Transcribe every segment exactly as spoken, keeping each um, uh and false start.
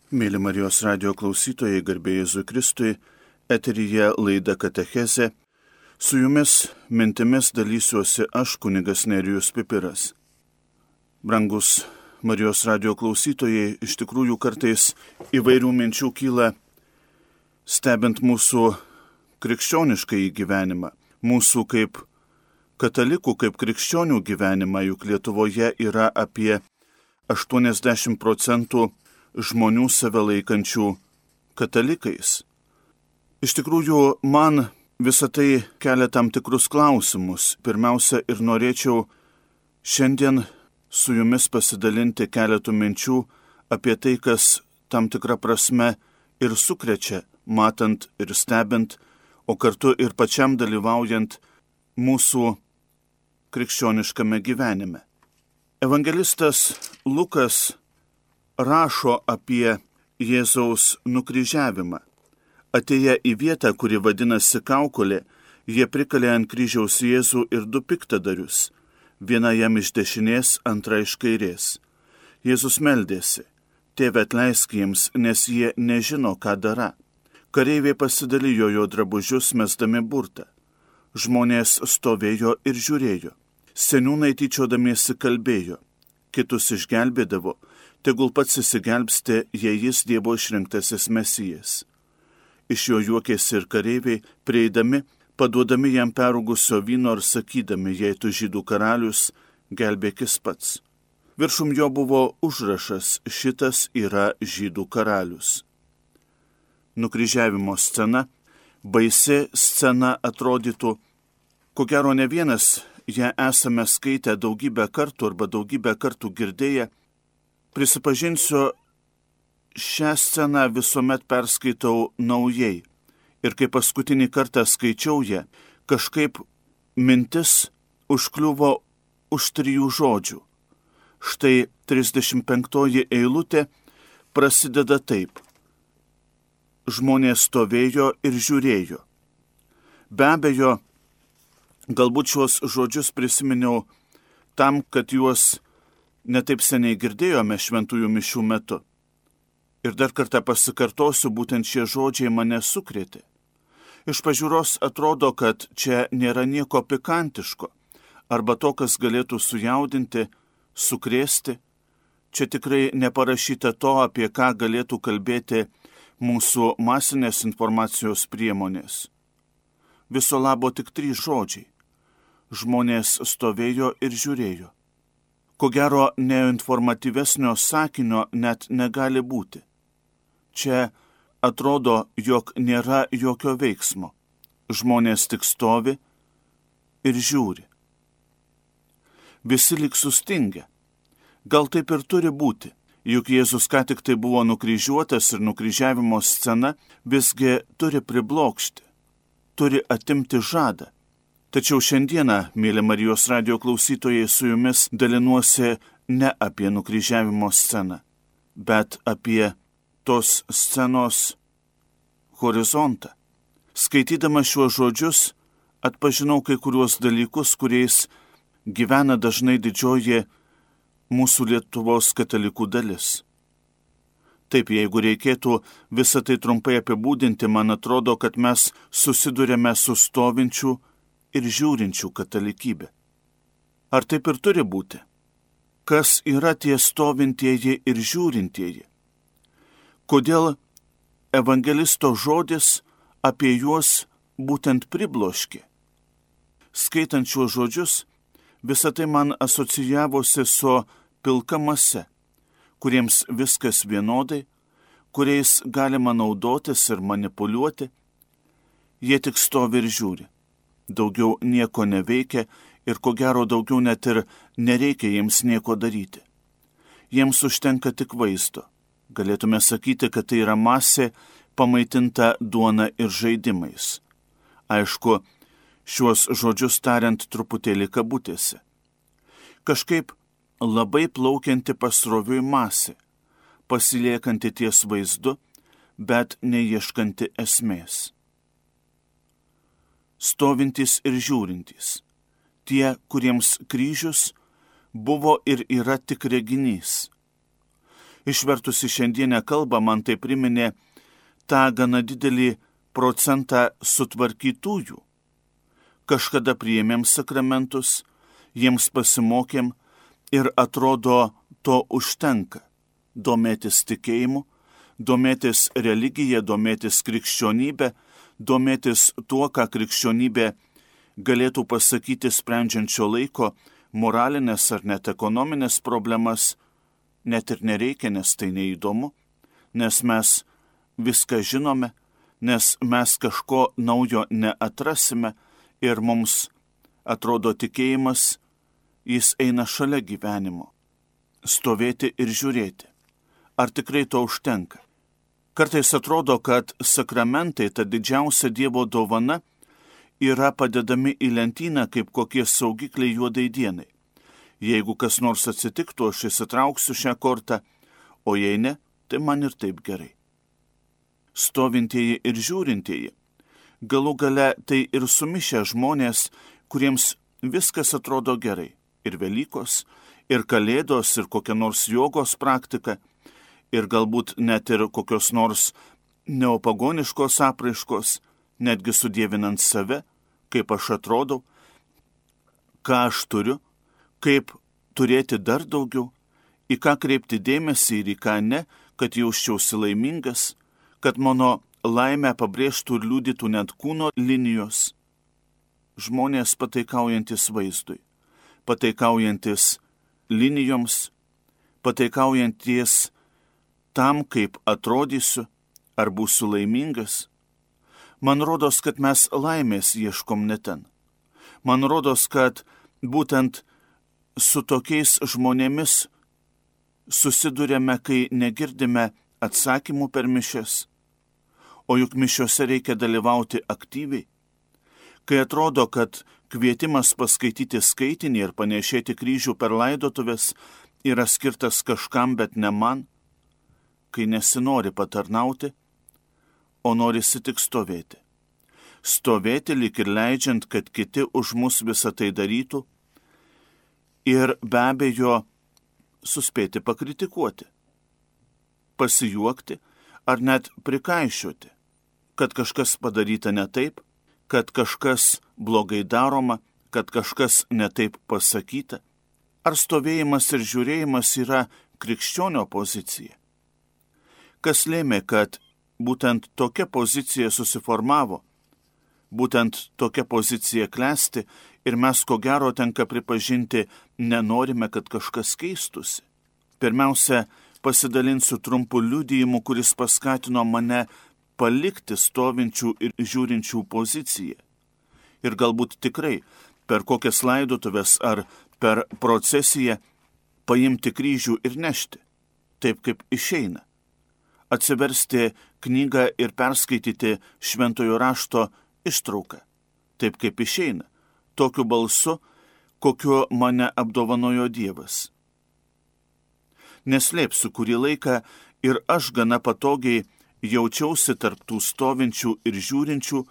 Mėly Marijos radio klausytojai, garbė Jėzui Kristui, eteryje laida Katechezė. Su jumis mintimis dalysiuosi aš, kunigas Nerijus Pipiras. Brangus Marijos radio klausytojai, iš tikrųjų kartais įvairių minčių kyla stebint mūsų krikščionišką gyvenimą, mūsų kaip katalikų, kaip krikščionių gyvenimą, juk Lietuvoje yra apie aštuoniasdešimt procentų žmonių save laikančių katalikais. Iš tikrųjų, man visą tai kelia tam tikrus klausimus. Pirmiausia, ir norėčiau šiandien su jumis pasidalinti keletų minčių apie tai, kas tam tikrą prasme ir sukrečia, matant ir stebint, o kartu ir pačiam dalyvaujant mūsų krikščioniškame gyvenime. Evangelistas Lukas rašo apie Jėzaus nukryžiavimą. Atėję į vietą, kuri vadinasi Kaukolė, jie prikalė ant kryžiaus Jėzų ir du piktadarius, viena jam iš dešinės, antra iš kairės. Jėzus meldėsi: Tėve, atleisk jiems, nes jie nežino, ką dara. Kareiviai pasidalijo jo drabužius, mesdami burtą. Žmonės stovėjo ir žiūrėjo. Seniūnai tyčiodamiesi kalbėjo: kitus išgelbėdavo, tegul pats įsigelbsti, jei jis Dievo išrinktasis Mesijas. Iš jo juokėsi ir kareiviai, prieidami, paduodami jam perrūgusio vyno ir sakydami: jei tu žydų karalius, gelbėkis pats. Viršum jo buvo užrašas: šitas yra žydų karalius. Nukryžiavimo scena, baisi scena atrodytų, ko gero ne vienas ją esame skaitę daugybę kartų arba daugybę kartų girdėję. Prisipažinsiu, šią sceną visuomet perskaitau naujai. Ir kai paskutinį kartą skaičiau ją, kažkaip mintis užkliuvo už trijų žodžių. Štai trisdešimt penktoji eilutė prasideda taip. Žmonės stovėjo ir žiūrėjo. Be abejo, galbūt šios žodžius prisiminiau tam, kad juos netaip seniai girdėjome šventųjų mišių metu. Ir dar kartą pasikartosiu, būtent šie žodžiai mane sukrėtė. Iš pažiūros atrodo, kad čia nėra nieko pikantiško, arba to, kas galėtų sujaudinti, sukrėsti. Čia tikrai neparašyta to, apie ką galėtų kalbėti mūsų masinės informacijos priemonės. Viso labo tik trys žodžiai. Žmonės stovėjo ir žiūrėjo. Ko gero, neinformatyvesnio sakinio net negali būti. Čia atrodo, jog nėra jokio veiksmo. Žmonės tik stovi ir žiūri. Visi lyg sustingę. Gal taip ir turi būti, juk Jėzus ką tik tai buvo nukryžiuotas ir nukryžiavimo scena visgi turi priblokšti, turi atimti žadą. Tačiau šiandieną, mėly Marijos radio klausytojai, su jumis dalinuosi ne apie nukryžiavimo sceną, bet apie tos scenos horizontą. Skaitydama šiuos žodžius, atpažinau kai kuriuos dalykus, kuriais gyvena dažnai didžioji mūsų Lietuvos katalikų dalis. Taip, jeigu reikėtų visą tai trumpai apibūdinti, man atrodo, kad mes susidurėme su stovinčiu ir žiūrinčių katalikybė. Ar taip ir turi būti? Kas yra tie stovintieji ir žiūrintieji? Kodėl evangelisto žodis apie juos būtent pribloškė? Skaitant šiuos žodžius, visą tai man asocijavosi su pilka mase, kuriems viskas vienodai, kuriais galima naudotis ir manipuliuoti. Jie tik stovi ir žiūri. Daugiau nieko neveikia ir ko gero daugiau net ir nereikia jiems nieko daryti. Jiems užtenka tik vaizdo. Galėtume sakyti, kad tai yra masė pamaitinta duona ir žaidimais. Aišku, šiuos žodžius tariant truputėlį kabutėse. Kažkaip labai plaukianti pasroviui masė, pasiliekanti ties vaizdu, bet neieškanti esmės. Stovintys ir žiūrintys, tie, kuriems kryžius buvo ir yra tik reginys. Išvertus į šiandienę kalbą man tai priminė tą gana didelį procentą sutvarkytųjų. Kažkada priėmėm sakramentus, jiems pasimokėm ir atrodo to užtenka. Domėtis tikėjimu, domėtis religija, domėtis krikščionybė, domėtis tuo, ką krikščionybė galėtų pasakyti sprendžiančio laiko moralinės ar net ekonominės problemas, net ir nereikia, nes tai neįdomu, nes mes viską žinome, nes mes kažko naujo neatrasime ir mums atrodo tikėjimas, jis eina šalia gyvenimo. Stovėti ir žiūrėti. Ar tikrai to užtenka? Kartais atrodo, kad sakramentai, ta didžiausia Dievo dovana, yra padedami į lentyną kaip kokie saugikliai juodai dienai. Jeigu kas nors atsitiktų, aš įsitrauksiu šią kortą, o jei ne, tai man ir taip gerai. Stovintieji ir žiūrintieji, galų gale tai ir sumišę žmonės, kuriems viskas atrodo gerai. Ir Velykos, ir Kalėdos, ir kokia nors jogos praktika, ir galbūt net ir kokios nors neopagoniškos apraiškos, netgi sudievinant save, kaip aš atrodau, ką aš turiu, kaip turėti dar daugiau, į ką kreipti dėmesį ir į ką ne, kad jausčiausi laimingas, kad mano laimę pabrėžtų ir liudytų net kūno linijos. Žmonės pataikaujantis vaizdui, pataikaujantis linijoms, pataikaujantis tam, kaip atrodysiu, ar būsiu laimingas. Man rodos, kad mes laimės ieškom ne ten. Man rodos, kad būtent su tokiais žmonėmis susidurėme, kai negirdime atsakymų per mišias, o juk mišiose reikia dalyvauti aktyviai. Kai atrodo, kad kvietimas paskaityti skaitinį ir panešėti kryžių per laidotuvės yra skirtas kažkam, bet ne man, kai nesinori patarnauti, o norisi tik stovėti. Stovėti lyg ir leidžiant, kad kiti už mus visą tai darytų ir be abejo suspėti pakritikuoti, pasijuokti ar net prikaišioti, kad kažkas padaryta ne taip, kad kažkas blogai daroma, kad kažkas ne taip pasakyta. Ar stovėjimas ir žiūrėjimas yra krikščionio pozicija? Kas lėmė, kad būtent tokia pozicija susiformavo, būtent tokia pozicija klesti ir mes ko gero tenka pripažinti, nenorime, kad kažkas keistusi. Pirmiausia, pasidalinsiu trumpu liudijimu, kuris paskatino mane palikti stovinčių ir žiūrinčių poziciją. Ir galbūt tikrai per kokias laidotuves ar per procesiją paimti kryžių ir nešti, taip kaip išeina. Atsiversti knygą ir perskaityti šventojo rašto ištrauką, taip kaip išeina, tokiu balsu, kokiu mane apdovanojo Dievas. Neslėpsiu, kurį laiką ir aš gana patogiai jaučiausi tarp tų stovinčių ir žiūrinčių,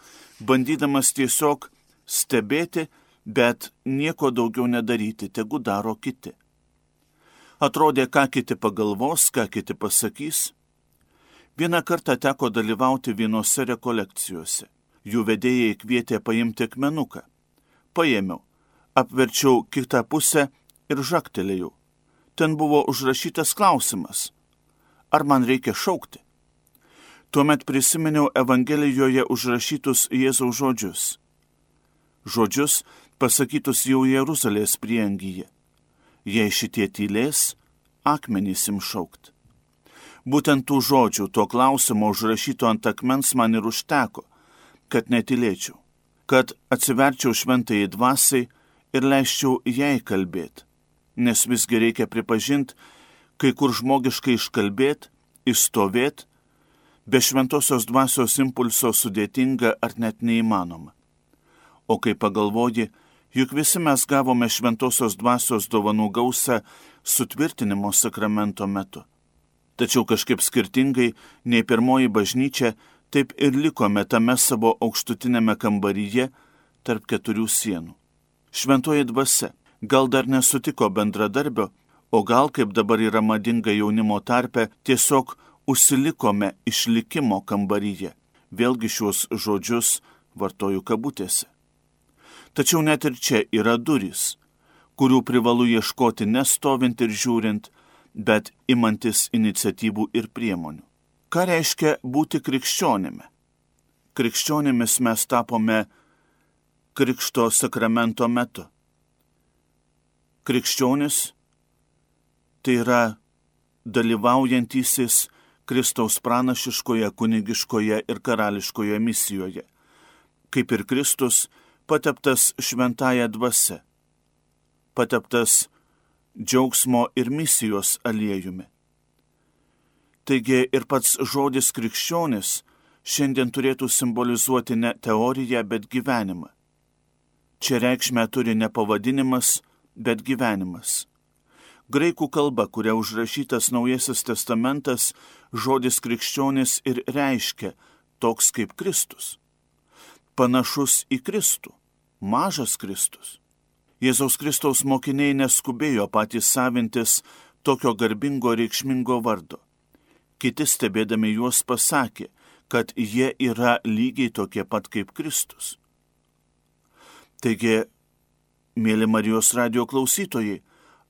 bandydamas tiesiog stebėti, bet nieko daugiau nedaryti, tegu daro kiti. Atrodė, ką kiti pagalvos, ką kiti pasakys. Vieną kartą teko dalyvauti vienose rekolekcijose. Jų vedėjai kvietė paimti akmenuką. Paėmiau, apverčiau kitą pusę ir žagtelėjau. Ten buvo užrašytas klausimas. Ar man reikia šaukti? Tuomet prisiminiau Evangelijoje užrašytus Jėzaus žodžius. Žodžius pasakytus jau Jeruzalės prieangyje. Jei šitie tylės, akmenys ims šaukt. Būtent tų žodžių, to klausimo užrašyto ant akmens man ir užteko, kad netylėčiau, kad atsiverčiau šventajai dvasiai ir leisčiau jai kalbėti, nes visgi reikia pripažinti, kai kur žmogiškai iškalbėti, išstovėti, be šventosios dvasios impulso sudėtinga ar net neįmanoma. O kai pagalvoji, juk visi mes gavome šventosios dvasios dovanų gausą sutvirtinimo sakramento metu. Tačiau kažkaip skirtingai nei pirmoji bažnyčia, taip ir likome tame savo aukštutinėme kambaryje tarp keturių sienų. Šventoji dvasia gal dar nesutiko bendradarbio, O gal, kaip dabar yra madinga jaunimo tarpe, tiesiog užsilikome išlikimo kambaryje. Vėlgi šios žodžius vartoju kabutėse. Tačiau net ir čia yra durys, kurių privalu ieškoti nestovint ir žiūrint, bet imantis iniciatyvų ir priemonių. Ką reiškia būti krikščionimi? Krikščionimis mes tapome krikšto sakramento metu. Krikščionis tai yra dalyvaujantysis Kristaus pranašiškoje, kunigiškoje ir karališkoje misijoje, kaip ir Kristus pateptas šventąja dvasia, pateptas džiaugsmo ir misijos aliejumi. Taigi ir pats žodis krikščionis šiandien turėtų simbolizuoti ne teoriją, bet gyvenimą. Čia reikšmę turi ne pavadinimas, bet gyvenimas. Graikų kalba, kuria užrašytas Naujasis testamentas, žodis krikščionis ir reiškia toks kaip Kristus. Panašus į Kristų, mažas Kristus. Jėzaus Kristaus mokiniai neskubėjo patys savintis tokio garbingo reikšmingo vardo. Kiti stebėdami juos pasakė, kad jie yra lygiai tokie pat kaip Kristus. Taigi, mėly Marijos radijo klausytojai,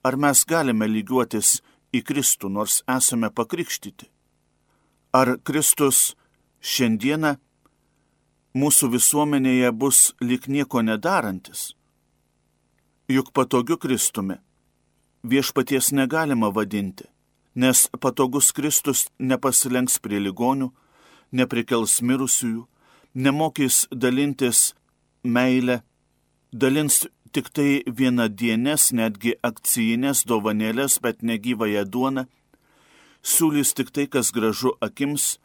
ar mes galime lygiuotis į Kristų, nors esame pakrikštyti? Ar Kristus šiandieną mūsų visuomenėje bus lyg nieko nedarantis? Juk patogiu Kristumi viešpaties negalima vadinti, nes patogus Kristus nepasilenks prie ligonių, neprikels mirusiųjų, nemokys dalintis meilę, dalins tik tai vienadienės, netgi akcijinės dovanėlės, bet negyvąją duoną, siūlys tik tai, kas gražu akims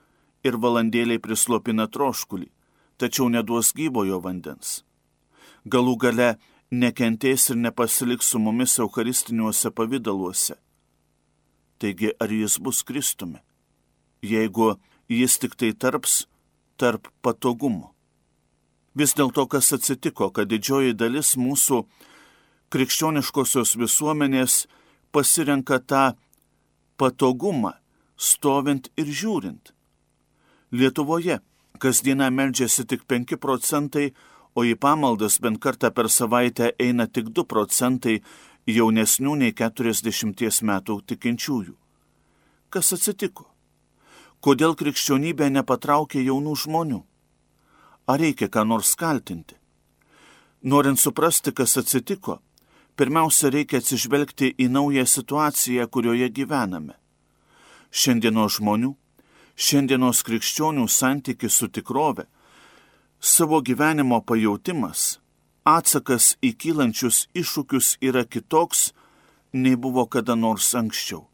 ir valandėliai prislopina troškulį, tačiau neduos gyvojo vandens. Galų gale nekentės ir nepasiliks su mumis eucharistiniuose pavidaluose. Taigi, ar jis bus Kristumi, jeigu jis tik tai tarps tarp patogumo? Vis dėlto, kas atsitiko, kad didžioji dalis mūsų krikščioniškosios visuomenės pasirenka tą patogumą, stovint ir žiūrint. Lietuvoje kasdieną meldžiasi tik penki procentai, o į pamaldas bent kartą per savaitę eina tik du procentai jaunesnių nei keturiasdešimties metų tikinčiųjų. Kas atsitiko? Kodėl krikščionybė nepatraukė jaunų žmonių? Ar reikia ką nors kaltinti? Norint suprasti, kas atsitiko, pirmiausia reikia atsižvelgti į naują situaciją, kurioje gyvename. Šiandienos žmonių, šiandienos krikščionių santykis su tikrove, savo gyvenimo pajautimas, atsakas į kylančius iššūkius yra kitoks, nei buvo kada nors anksčiau.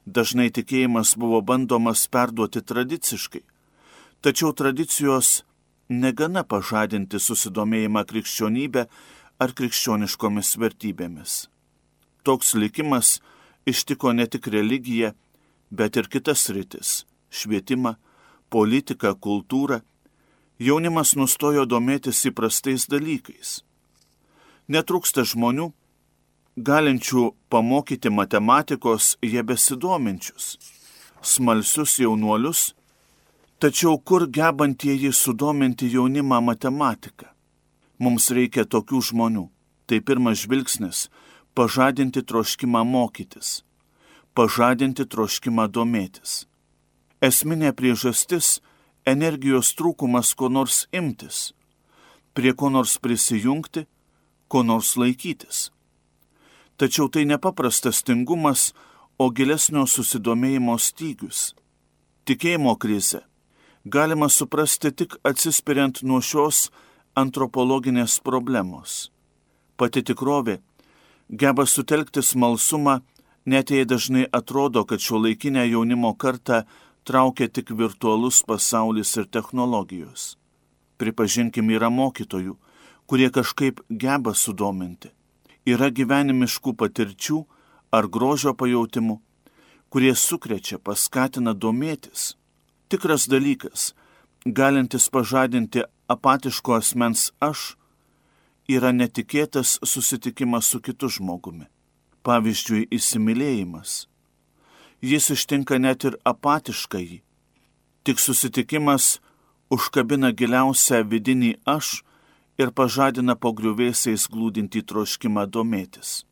Dažnai tikėjimas buvo bandomas perduoti tradiciškai, tačiau tradicijos negana pažadinti susidomėjimą krikščionybę ar krikščioniškomis vertybėmis. Toks likimas ištiko ne tik religiją, bet ir kitas sritis – švietimą, politiką, kultūrą. Jaunimas nustojo domėtis įprastais dalykais. Netrūksta žmonių, galinčių pamokyti matematikos, jie besidominčius, smalsius jaunuolius, tačiau kur gebantieji sudominti jaunimą matematiką? Mums reikia tokių žmonių. Tai pirmas žvilgsnis – pažadinti troškimą mokytis, pažadinti troškimą domėtis. Esminė priežastis – energijos trūkumas ko nors imtis, prie ko nors prisijungti, ko nors laikytis. Tačiau tai nepaprastas tingumas, o gilesnio susidomėjimo stygius. Tikėjimo krizę galima suprasti tik atsispiriant nuo šios antropologinės problemos. Pati tikrovė geba sutelkti smalsumą, net jei dažnai atrodo, kad šiuolaikinę jaunimo kartą traukia tik virtualus pasaulis ir technologijos. Pripažinkim, yra mokytojų, kurie kažkaip geba sudominti. Yra gyvenimiškų patirčių ar grožio pajautimų, kurie sukrečia, paskatina domėtis. Tikras dalykas, galintis pažadinti apatiško asmens aš, yra netikėtas susitikimas su kitu žmogumi. pavyzdžiui įsimylėjimas. Jis ištinka net ir apatiškąjį. Tik susitikimas užkabina giliausią vidinį aš ir pažadina po griuvėsiais glūdintį troškimą domėtis.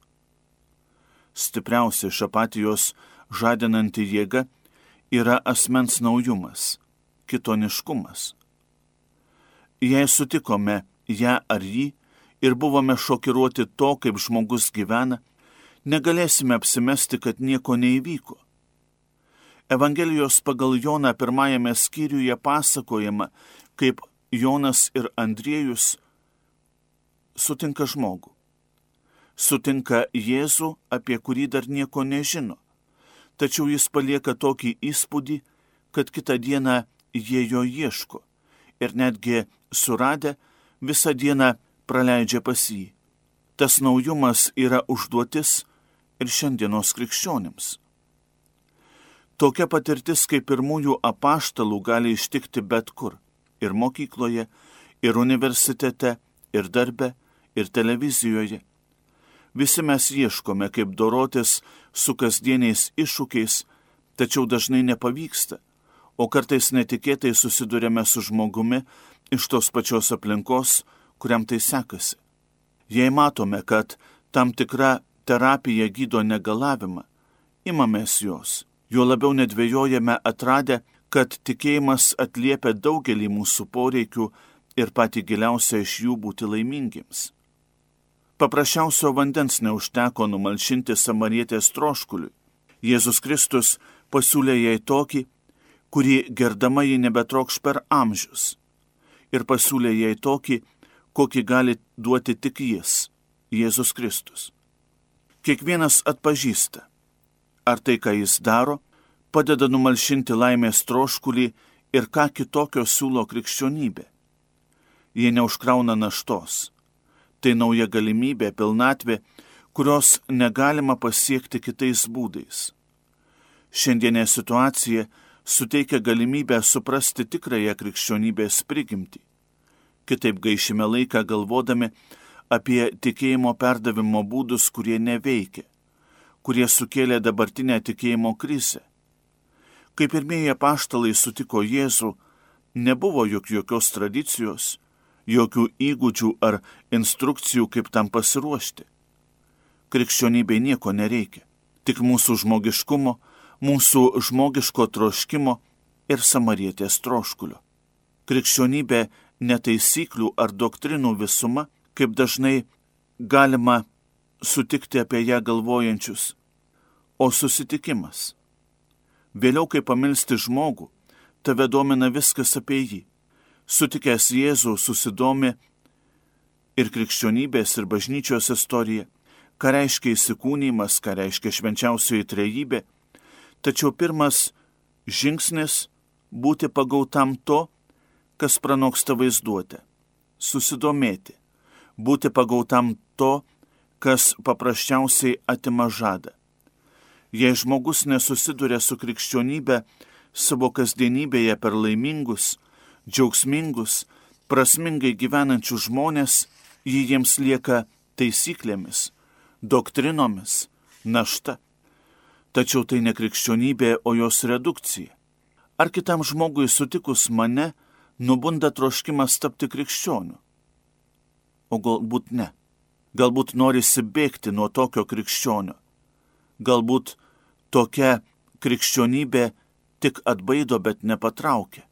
Stipriausia iš apatijos žadinanti jėga yra asmens naujumas, kitoniškumas. Jei sutikome ją ar jį ir buvome šokiruoti to, kaip žmogus gyvena, negalėsime apsimesti, kad nieko neįvyko. Evangelijos pagal Joną pirmajame skyriuje pasakojama, kaip Jonas ir Andriejus sutinka žmogų. Sutinka Jėzų, apie kurį dar nieko nežino. Tačiau jis palieka tokį įspūdį, kad kitą dieną jie jo ieško ir netgi suradę visą dieną praleidžia pas jį. Tas naujumas yra užduotis ir šiandienos krikščionims. Tokia patirtis kaip pirmųjų apaštalų gali ištikti bet kur – ir mokykloje, ir universitete, ir darbe, ir televizijoje. Visi mes ieškome, kaip dorotis su kasdieniais iššūkiais, tačiau dažnai nepavyksta, o kartais netikėtai susidurėme su žmogumi iš tos pačios aplinkos, kuriam tai sekasi. Jei matome, kad tam tikra terapija gydo negalavimą, imamės jos. Jo labiau nedvejojame atradę, kad tikėjimas atliepia daugelį mūsų poreikių ir patį giliausią iš jų būti laimingiems. Paprasčiausio vandens neužteko numalšinti samarietės troškuliui. Jėzus Kristus pasiūlė jai tokį, kurį gerdama ji nebetrokš per amžius. Ir pasiūlė jai tokį, kokį gali duoti tik jis, Jėzus Kristus. Kiekvienas atpažįsta, ar tai, ką jis daro, padeda numalšinti laimės troškulį ir ką kitokio siūlo krikščionybė. Jie neužkrauna naštos. Tai nauja galimybė, pilnatvė, kurios negalima pasiekti kitais būdais. Šiandienė situacija suteikia galimybę suprasti tikrąją krikščionybės prigimtį. Kitaip gaišime laiką galvodami apie tikėjimo perdavimo būdus, kurie neveikia, kurie sukėlė dabartinę tikėjimo krizę. Kai pirmieji apaštalai sutiko Jėzų, nebuvo juk jokios tradicijos, jokių įgūdžių ar instrukcijų, kaip tam pasiruošti. Krikščionybei nieko nereikia, tik mūsų žmogiškumo, mūsų žmogiško troškimo ir samarietės troškulio. Krikščionybė ne taisyklių ar doktrinų visuma, kaip dažnai galima sutikti apie ją galvojančius, o susitikimas. Vėliau, kai pamilsti žmogų, tave domina viskas apie jį. Sutikęs Jėzų susidomi ir krikščionybės, ir bažnyčios istorija, ką reiškia įsikūnymas, ką reiškia švenčiausioji trejybė, tačiau pirmas žingsnis būti pagautam to, kas pranoksta vaizduotę, susidomėti, būti pagautam to, kas paprasčiausiai atima žadą. Jei žmogus nesusiduria su krikščionybė savo kasdienybėje per laimingus, džiaugsmingus, prasmingai gyvenančius žmonės, jį jiems lieka taisyklėmis, doktrinomis, našta. Tačiau tai ne krikščionybė, o jos redukcija. Ar kitam žmogui sutikus mane, nubunda troškimas tapti krikščioniu? O galbūt ne. Galbūt norisi bėgti nuo tokio krikščionio. Galbūt tokia krikščionybė tik atbaido, bet nepatraukia.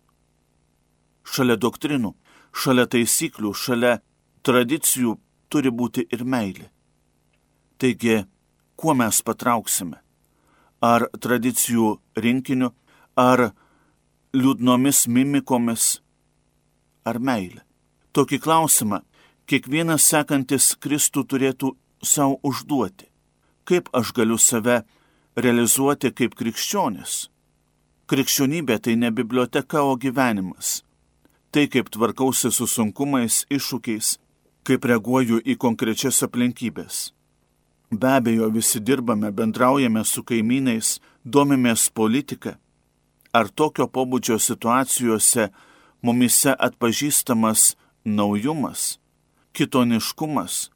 Šalia doktrinų, šalia taisyklių, šalia tradicijų turi būti ir meilė. Taigi, kuo mes patrauksime? Ar tradicijų rinkiniu, ar liūdnomis mimikomis, ar meilė? Tokį klausimą kiekvienas sekantis Kristų turėtų savo užduoti. Kaip aš galiu save realizuoti kaip krikščionis? Krikščionybė tai ne biblioteka, o gyvenimas. Tai kaip tvarkausi su sunkumais, iššūkiais, kaip reaguoju į konkrečias aplinkybės. Be abejo, visi dirbame, bendraujame su kaimynais, domimės politiką. Ar tokio pobūdžio situacijose mumise atpažįstamas naujumas, kitoniškumas,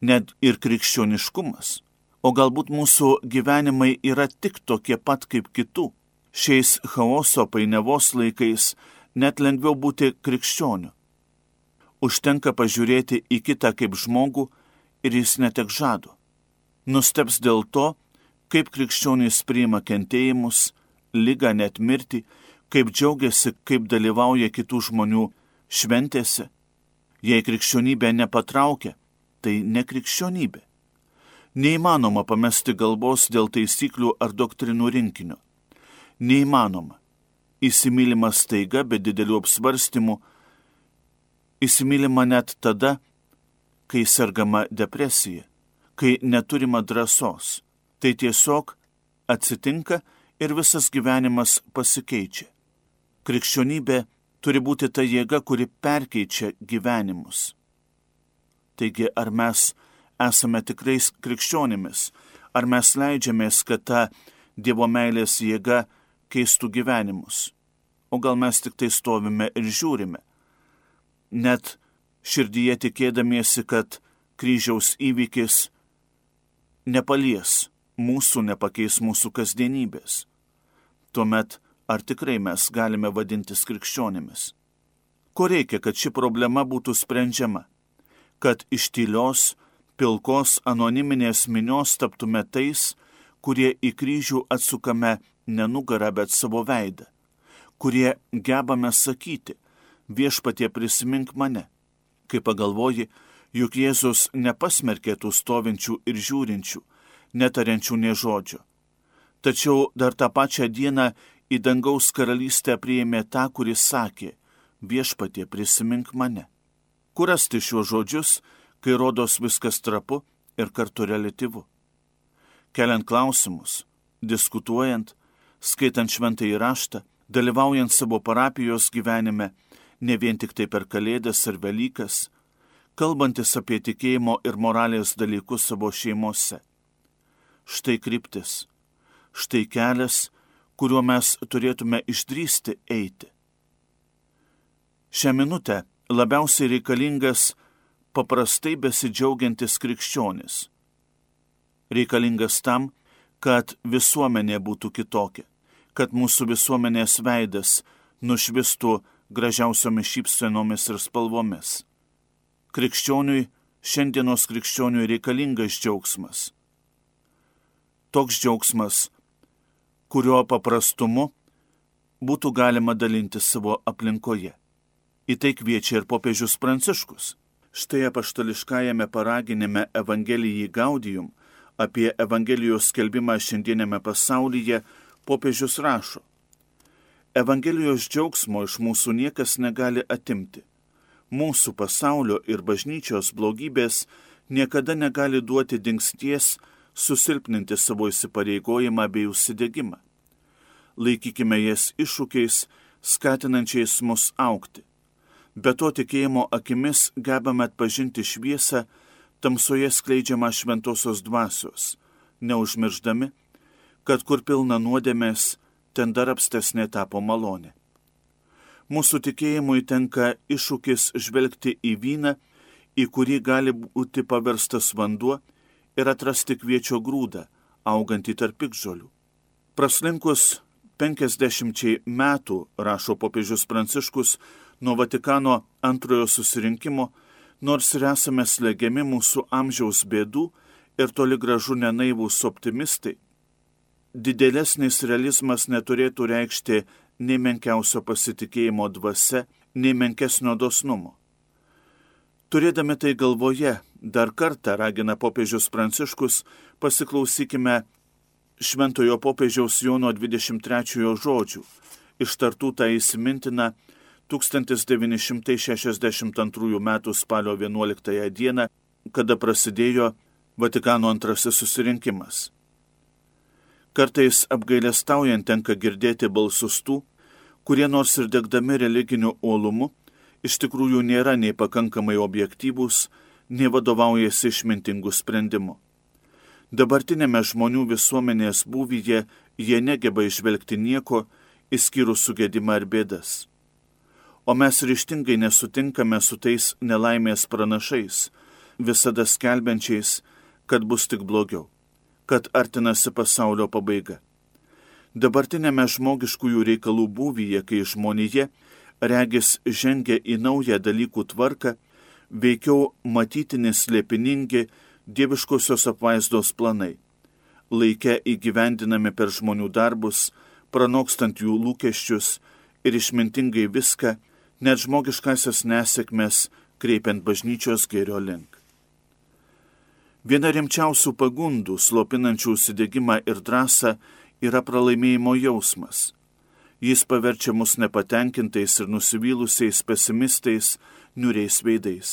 net ir krikščioniškumas, O galbūt mūsų gyvenimai yra tik tokie pat kaip kitų. Šiais chaoso painiavos laikais net lengviau būti krikščioniu. Užtenka pažiūrėti į kitą kaip žmogų ir jis netek žado. Nustebs dėl to, kaip krikščionys priima kentėjimus, ligą, net mirtį, kaip džiaugiasi, kaip dalyvauja kitų žmonių šventėse. Jei krikščionybė nepatraukia, tai ne krikščionybė. Neįmanoma pamesti galvos dėl taisyklių ar doktrinų rinkinio. Neįmanoma. Įsimylima staiga, be didelių apsvarstymų. Įsimylima net tada, kai sergama depresija, kai neturima drąsos. Tai tiesiog atsitinka ir visas gyvenimas pasikeičia. Krikščionybė turi būti ta jėga, kuri perkeičia gyvenimus. Taigi, ar mes esame tikrais krikščionimis, ar mes leidžiamės, kad ta Dievo meilės jėga keistų gyvenimus, o gal mes tik tai stovime ir žiūrime, net širdyje tikėdamiesi, kad kryžiaus įvykis nepalies mūsų, nepakeis mūsų kasdienybės. Tuomet ar tikrai mes galime vadintis krikščionimis? Ko reikia, kad ši problema būtų sprendžiama? Kad iš tylios, pilkos, anoniminės minios taptume tais, kurie į kryžių atsukame ne nugarą, bet savo veidą, kurie gebame sakyti, viešpatie prisimink mane. Kai pagalvoji, juk Jėzus nepasmerkė tų stovinčių ir žiūrinčių, netariančių nė žodžio. Tačiau dar tą pačią dieną į dangaus karalystę priėmė tą, kuris sakė, viešpatie prisimink mane. Kur rasti šiuos žodžius, kai rodos viskas trapu ir kartu reliatyvu? Keliant klausimus, diskutuojant, skaitant šventąjį raštą, dalyvaujant savo parapijos gyvenime, ne vien tik tai per Kalėdas ar Velykas, kalbantis apie tikėjimo ir moralės dalykus savo šeimose. Štai kryptis, štai kelias, kuriuo mes turėtume išdrįsti eiti. Šią minutę labiausiai reikalingas paprastai besidžiaugiantis krikščionis. Reikalingas tam, kad visuomenė būtų kitokia, kad mūsų visuomenės veidas nušvistų gražiausiomis šypsenomis ir spalvomis. Krikščioniui, šiandienos krikščioniui reikalingas džiaugsmas. Toks džiaugsmas, kurio paprastumu būtų galima dalinti savo aplinkoje. Į tai kviečia ir popiežius Pranciškus. Štai apaštališkajame paraginime Evangelijai Gaudium apie Evangelijos skelbimą šiandienėme pasaulyje popiežius rašo: Evangelijos džiaugsmo iš mūsų niekas negali atimti. Mūsų pasaulio ir bažnyčios blogybės niekada negali duoti dingsties susilpninti savo įsipareigojimą bei užsidegimą. Laikykime jas iššūkiais, skatinančiais mus augti. Be to tikėjimo akimis gebame atpažinti šviesą, tamsoje skleidžiamą šventosios dvasios, neužmirždami, kad kur pilna nuodėmės, ten dar apstesnė tapo malonė. Mūsų tikėjimui tenka iššūkis žvelgti į vyną, į kurį gali būti paverstas vanduo, ir atrasti kviečio grūdą, augantį tarp piktžolių. Praslinkus penkiasdešimčiai metų, rašo popiežius Pranciškus, nuo Vatikano antrojo susirinkimo, nors ir esame slegiami mūsų amžiaus bėdų ir toli gražu nenaivūs optimistai, didelesnis realizmas neturėtų reikšti nei menkiausio pasitikėjimo dvasia, nei menkesnio dosnumo. Turėdami tai galvoje, dar kartą ragina popiežius Pranciškus, pasiklausykime šventojo popiežiaus Jono dvidešimt trečiojo žodžių, ištartų tą įsimintiną tūkstantis devyni šimtai šešiasdešimt antrųjų metų spalio vienuoliktąją dieną, kada prasidėjo Vatikano antrasis susirinkimas. Kartais apgailestaujant tenka girdėti balsus tų, kurie nors ir degdami religiniu uolumu, iš tikrųjų nėra nei pakankamai objektyvūs, nei vadovaujasi išmintingų sprendimų. Dabartinėme žmonių visuomenės būvyje jie negeba išvelgti nieko, išskyrus sugedimą ir bėdas. O mes ryžtingai nesutinkame su tais nelaimės pranašais, visada skelbiančiais, kad bus tik blogiau, kad artinasi pasaulio pabaiga. Dabartinėme žmogiškųjų reikalų būvyje, kai žmonija regis žengia į naują dalykų tvarką, veikiau matytini slėpiningi dieviškosios apvaizdos planai, laike įgyvendinami per žmonių darbus, pranokstant jų lūkesčius ir išmintingai viską, net žmogiškasias nesėkmes kreipiant bažnyčios gėrio link. Viena rimčiausių pagundų, slopinančių užsidegimą ir drąsą, yra pralaimėjimo jausmas. Jis paverčia mus nepatenkintais ir nusivylusiais pesimistais, niūriais veidais.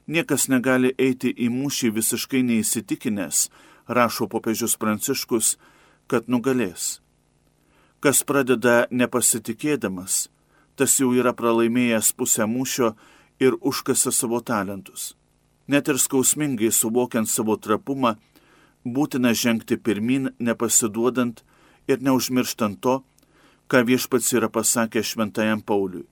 Niekas negali eiti į mūšį visiškai neįsitikinęs, rašo popiežius Pranciškus, kad nugalės. Kas pradeda nepasitikėdamas, tas jau yra pralaimėjęs pusę mūšio ir užkasa savo talentus. Net ir skausmingai suvokiant savo trapumą, būtina žengti pirmin, nepasiduodant ir neužmirštant to, ką viešpats yra pasakęs šventajam Pauliui.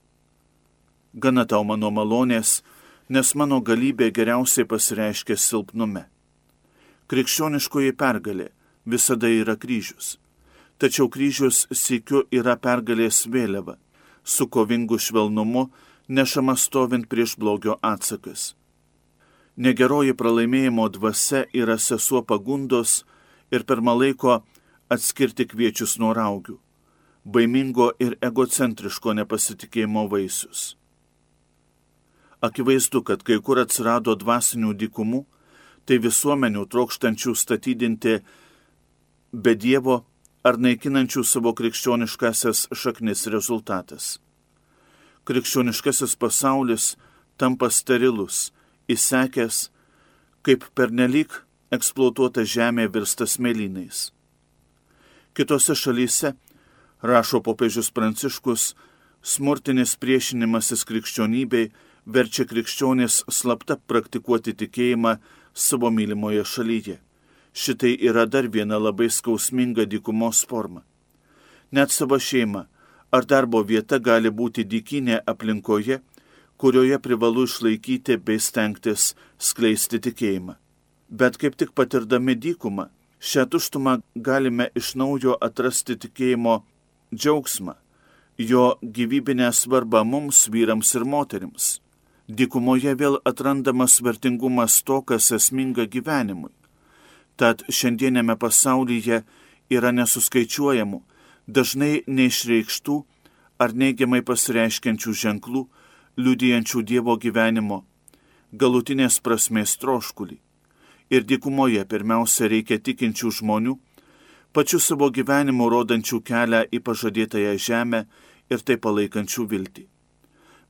Gana tau mano malonės, nes mano galybė geriausiai pasireiškia silpnume. Krikščioniškoji pergalė visada yra kryžius. Tačiau kryžius sykiu yra pergalės vėliava, su kovingu švelnumu nešama stovint prieš blogio atsakas. Negeroji pralaimėjimo dvasia yra sesuo pagundos ir pirma laiko atskirti kviečius nuo raugių, baimingo ir egocentriško nepasitikėjimo vaisius. Akivaizdu, kad kai kur atsirado dvasinių dykumų, tai visuomenių trokštančių statydinti be Dievo ar naikinančių savo krikščioniškasias šaknis rezultatas. Krikščioniškasis pasaulis tampa sterilus, įsekęs, kaip pernelyg eksploatuota žemė virsta smėlynais. Kitose šalyse, rašo popiežius Pranciškus, smurtinis priešinimasis krikščionybei verčia krikščionis slapta praktikuoti tikėjimą savo mylimoje šalyje. Šitai yra dar viena labai skausminga dykumos forma. Net savo šeima ar darbo vieta gali būti dykinė aplinkoje, kurioje privalu išlaikyti bei stengtis skleisti tikėjimą. Bet kaip tik patirdami dykumą, šią tuštumą galime iš naujo atrasti tikėjimo džiaugsmą, jo gyvybinę svarbą mums, vyrams ir moterims. Dykumoje vėl atrandamas vertingumas to, kas esminga gyvenimui. Tad šiandienėme pasaulyje yra nesuskaičiuojamų, dažnai neišreikštų ar neigiamai pasireiškiančių ženklų, liudijančių Dievo gyvenimo, galutinės prasmės troškulį. Ir dykumoje pirmiausia reikia tikinčių žmonių, pačių savo gyvenimu rodančių kelią į pažadėtąją žemę ir tai palaikančių viltį.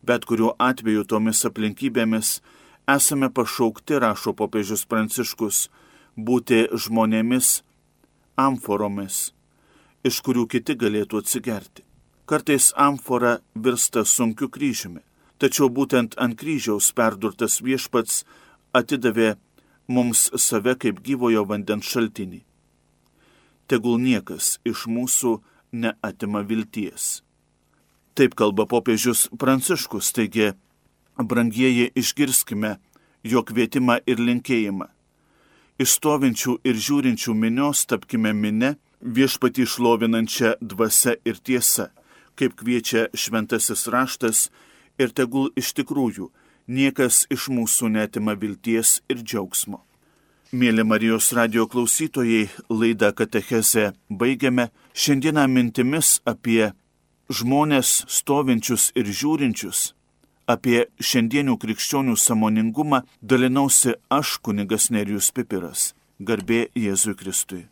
Bet kuriuo atveju tomis aplinkybėmis esame pašaukti, rašo popiežius Pranciškus, būti žmonėmis, amforomis, iš kurių kiti galėtų atsigerti. Kartais amfora virsta sunkiu kryžiumi, tačiau būtent ant kryžiaus perdurtas viešpats atidavė mums save kaip gyvojo vandens šaltinį. Tegul niekas iš mūsų neatima vilties. Taip kalba popiežius Pranciškus, taigi, brangieji, išgirskime jo kvietimą ir linkėjimą. Iš stovinčių ir žiūrinčių minios tapkime mine, viešpatį šlovinančią dvasia ir tiesa, kaip kviečia šventasis raštas, ir tegul iš tikrųjų niekas iš mūsų neatima vilties ir džiaugsmo. Mėly Marijos radijo klausytojai, laidą Katechezę baigiame šiandieną mintimis apie žmonės stovinčius ir žiūrinčius. Apie šiandienių krikščionių sąmoningumą dalinausi aš, kunigas Nerijus Pipiras. Garbė Jėzui Kristui.